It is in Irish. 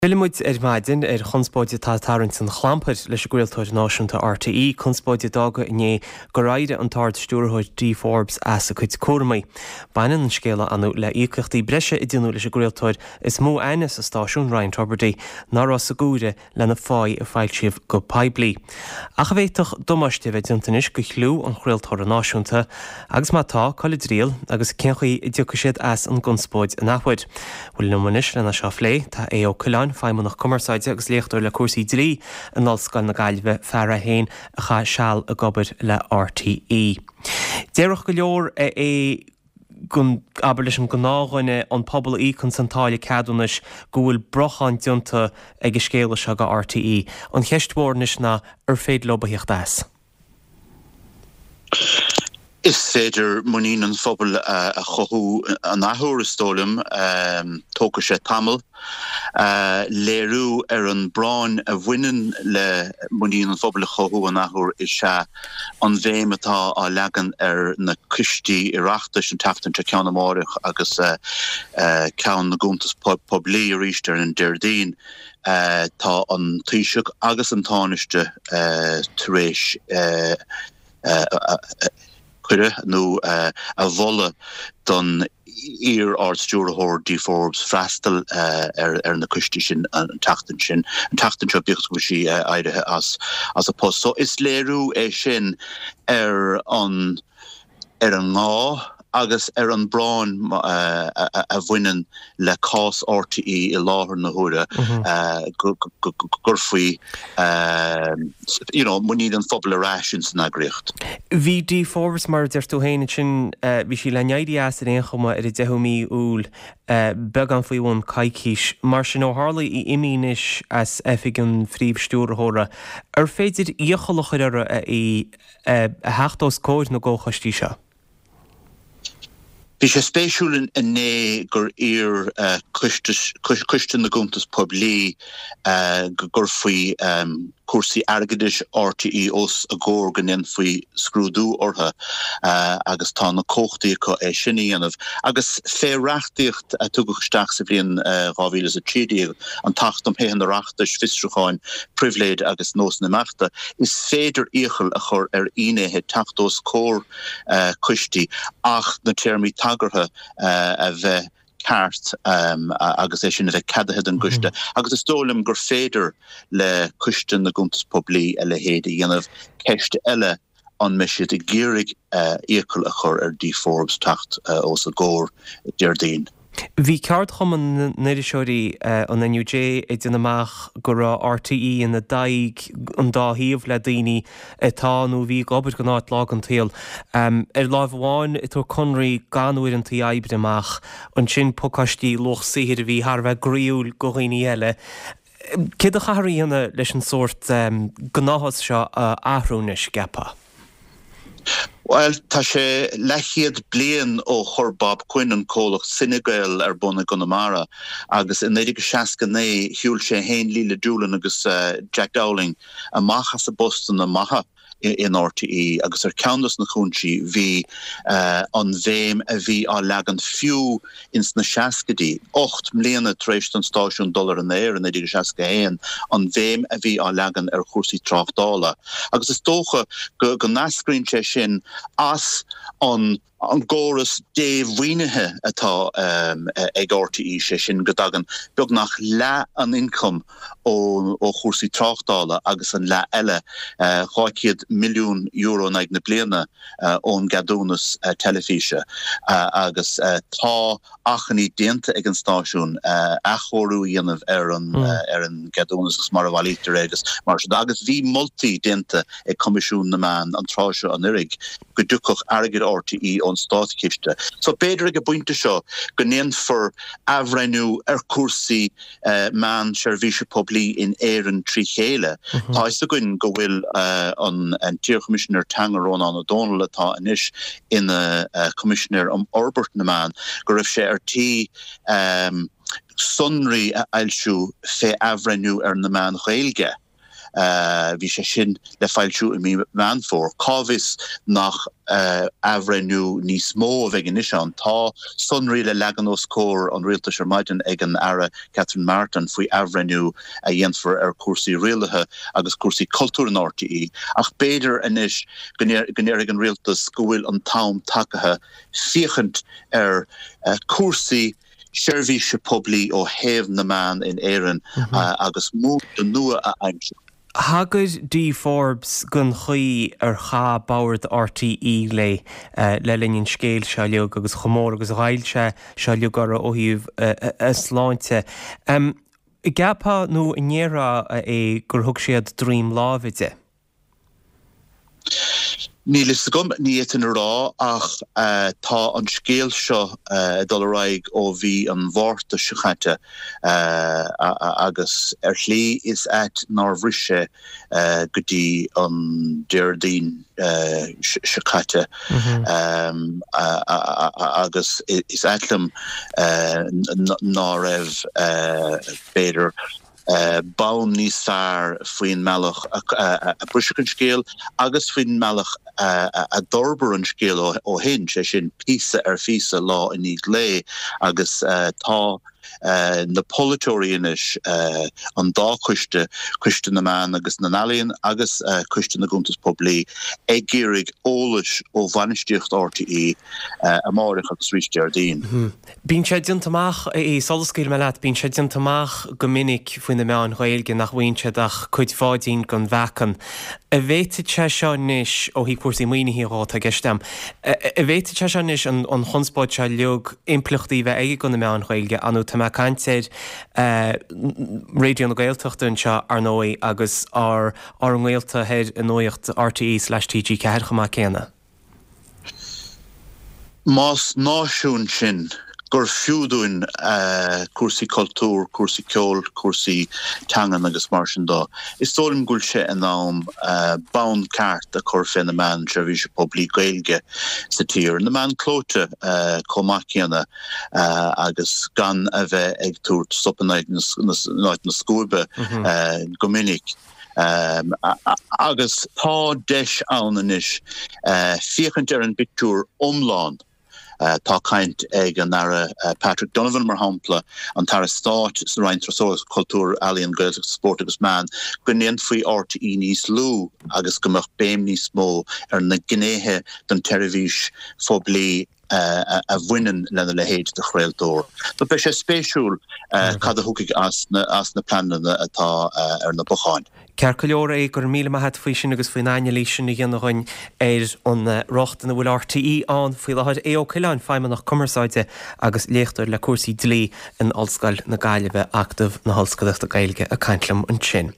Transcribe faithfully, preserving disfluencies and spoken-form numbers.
Fillfidh muid ar maidin ar chonspóid atá ag tarraingt an chlampair leis an gcraoltóir náisiúnta R T E, conspóid a d'fhág inné gur éirigh an tArd-Stiúrthóir Dee Forbes as a cuid cúraimí. Baineann an scéal anu le íocaíochtaí breise a déanadh leis an gcraoltóir is mó aithne sa stáisiún, Ryan Tubridy, nach raibh sa gcúire lena pháí a foilsíodh go poiblí. Ach a bhféadfadh damáiste a bheith déanta anois go chliú an chraoltóra náisiúnta, agus má tá, cá bhfuil a dtriall agus cén chaoi a dtiocfaidh siad as an gconspóid an athuair. Bhuel, liom anois lena seo a phlé tá Aodh Ó Coileáin, feidhmeannach cumarsáide agus léachtóir le cúrsaí dlí in Ollscoil na Gaillimhe, fear é féin a chaith seal ag obair le R T E. Déarfadh go leor é gon abair leis an gnáthdhuine, an pobal a íocann an táille ceadúnais, go bhfuil brochán déanta ag an scéal seo go R T E. An cheist mhór anois ná ar féidir leo a theacht as. Is féidir muinín an phobail a chothú an athuair, is dóigh liom. Tógfaidh sé tamall. Léiriú ar an bpráinn a bhaineann le muinín an phobail a chothú an athuair is ea an bhéim atá á leagan ar na coistí Oireachtais an tseachtain seo, ceann amárach agus ceann na gcuntas poiblí arís ar an Déardaoin. Tá an Taoiseach agus an Tánaiste tar éis cuireadh nó a mholadh don iar-Ard-Stiúrthóir Dee Forbes freastal ar ar na coistí sin an tseachtain sin an tseachtain seo, bíodh go bhfuil sí éirithe as as a post. So is léiriú é sin ar an ar an ngá agus ar an bpráinn a bhaineann le cás R T E i láthair na huaire go gcuirfí you know, muinín an phobail ar ais in san eagraíocht. Bhí Dee Forbes, mar deir tú féin sin, bhí sí le n-éirí as ar aon chuma ar an deichiú mí Iúil, beagán faoi bhun coicís. Mar sin, ó tharla í imithe anois as oifig an phríomh-stiúrthóra, ar féidir iachall a chur uirthi í a theacht os comhair na gcomhchoistí seo? Bhí sé spéisiúil inné gur iarr coiste na gcuntas poiblí go gcuirfí cúrsaí airgeadais R T E os a gcomhair, go ndéanfaí scrúdú orthu, agus tá na cumhachtaí acu é sin a dhéanamh. Agus fé reachtaíocht a tugadh isteach sa bhliain dhá mhíle is a trí déag, an tAcht um Thithe an Oireachtais, Fiosrúcháin, Pribhléid agus Nósanna Imeachta, is féidir iachall a chur ar fhinnéithe teacht os comhair coistí ach na téarmaí tagartha a bheith ceart um, agus é sin a bheith ceadaithe den gcoiste. Mm -hmm. Agus is dóigh liom gur féidir le coiste na gcuntas poiblí a leithéid a dhéanamh. Ceist eile an mbeidh siad ag iarraidh uh, iachall a chur ar Dee Forbes teacht uh, os a gcomhair Déardaoin. Bhí ceardchumann na n-iriseoirí, an N U J, ag déanamh amach go raibh R T E ina dtagh an dá thaobh le daoine atá nó bhí ag obair don áit lá den tsaol. Ar láimh amháin ag tabhairt conraí gan uaireanta oibre amach, ansin pacáistí luach saothair a bhí thar a bheith groíúil go dhaoine eile. Céard a chaithfear a dhéanamh leis an sórt gnáthas seo a athrú anois, ceapfá? Well, tá sé leathchéad bliain ó chuir Bob Quinn an comhlacht Cinegael ar bun i gConamara, agus in naoi déag seasca naoi shiúil sé féin, Leila Doolan agus uh, Jack Dowling amach as a bpostanna maithe in R T E, agus ar ceann de na cúinsí bhí uh, an bhéim a bhí á leagan fiú ins na seascaidí, ocht mbliana tar éis don stáisiún dul ar an aer in naoi déag seasca haon, an bhéim a bhí á leagan ar chúrsaí tráchtála. Agus is dócha go go n-eascraíonn sé sin as an an gcóras dé-mhaoinithe atá um, ag R T E, sé sin go dtagann beagnach leath an ioncam ó, ó chúrsaí tráchtála agus an leath eile, uh, dhá chéad milliún euro in aghaidh na bliana, uh, ón gceadúnas uh, teilifíse uh, agus uh, tá achainí déanta ag an stáisiún uh, athchóiriú a dhéanamh ar an mm. uh, ar an gceadúnas agus mar a bhailítear agus mar sin, agus bhí moltaí déanta ag Coimisiún na Meán an tráth seo anuraidh go dtiocfadh airgead R T E ón státchiste. So b'fhéidir ag an bpointe seo go ndéanfar athbhreithniú ar chúrsaí uh, meán seirbhíse poiblí in Éirinn trí chéile. Mm -hmm. Tá a fhios againn go bhfuil uh, an, an t-iarChoimisinéir Teanga Rónán Ó Domhnaill, atá anois ina uh, Coimisinéir um Fhorbairt na Meán, go raibh sé ar tí um, sonraí a fhoilsiú fé athbhreithniú ar na meáin Ghaeilge. Bhí sé sin le foilsiú i mí Meán Fómhair. Cá bhfios nach athbhreithniú níos mó a bheidh anois ann? Tá sonraí le leagan os comhair an rialtais ar maidin ag an Aire Catherine Martin faoi athbhreithniú a dhéanfar ar chúrsaí rialaithe agus cúrsaí cultúir in RTÉ. Ach b'fhéidir anois go ndéarfaidh an rialtas go bhfuil an t-am tagaithe féachaint ar chúrsaí seirbhíse poiblí ó thaobh na meán in Éirinn agus múnla nua a aimsiú. Thagair Dee Forbes don chaoi ar chaith Bord RTÉ léi le linn an scéil seo uilig agus chomh mór agus a ghoill sé seo uilig uirthi ó thaobh a sláinte. An gceapfá nó an ndéarfá é gur thug siad droim láimhe di? Níl fhios agam, ní fhéadfainn a rá, ach tá an scéal seo ag dul ar aghaidh ó mhí an Mhárta seo caite agus ar shlí is ait nár bhris sé go dtí an Déardaoin seo caite agus is ait liom ná raibh, b'fhéidir, bonn níos fearr faoin mbealach a briseadh an scéal agus faoin mbealach a d'fhorbair an scéal ó shin, sé sin píosa ar phíosa, lá i ndiaidh lae agus tá na polaiteoirí anois, an dá choiste, Coiste na Meán agus na nEalaíon agus Coiste na gCuntas Poiblí, ag iarraidh eolais ó bhainistíocht RTÉ amáireach agus arís Déardaoin. Bíonn sé déanta amach, sula scaoilfidh mé leat, bíonn sé déanta amach go minic faoi na meáin Ghaeilge nach bhfaigheann siad ach cuid bháidín den mheacan. An bhféadfadh sé seo anois, ó thaobh cúrsaí maoinithe dhó atá i gceist agam, an bhféadfadh sé seo anois an chonspóid seo uilig impleachtaí a bheith aige do na meáin Ghaeilge, ar ndóigh tá mé ag caint ar Raidió na Gaeltachta anseo ar ndóigh agus ár ngaolta thoir i Nuacht RTÉ slash TG ceathair chomh maith céanna. Más náisiún sinn, gur fiú dúinn cúrsaí cultúir, cúrsaí ceoil, cúrsaí teangan agus mar sin dó, is dóigh liom go bhfuil sé in am bonn ceart a chur fé na meáin seirbhíse poiblí Gaeilge sa tír, na meáin clóite chomh maith céanna, agus gan a bheith ag tabhairt sop in áit na scuaibe go minic. Agus tá deis ann anois féachaint ar an bpictiúr iomlán. Tá caint ag an Aire Patrick Donovan, mar shampla, an tAire Stáit sa Roinn Turasóireachta, Cultúir, Ealaíon, Gaeltachta, Spóirt agus Meán, go ndéanfaí RTÉ níos lú agus go mbeadh béim níos mó ar na gnéithe den tseirbhís phoiblí a bhaineann lena leithéid de chraoltóir. So beidh sé spéisiúil cad a thiocfaidh as na pleananna atá ar na bacáin. Ceart go leor é, go raibh míle maith a't faoi sin agus faoin anailís sin a dhéanamh dhuinn ar an riocht ina bhfuil RTÉ ann faoi láthair. Aodh Ó Coileáin, Feidhmeannach Cumarsáide agus léachtóir le cúrsaí dlí in Ollscoil na Gaillimhe, Acadamh na hOllscolaíochta Gaeilge ag caint liom ansin.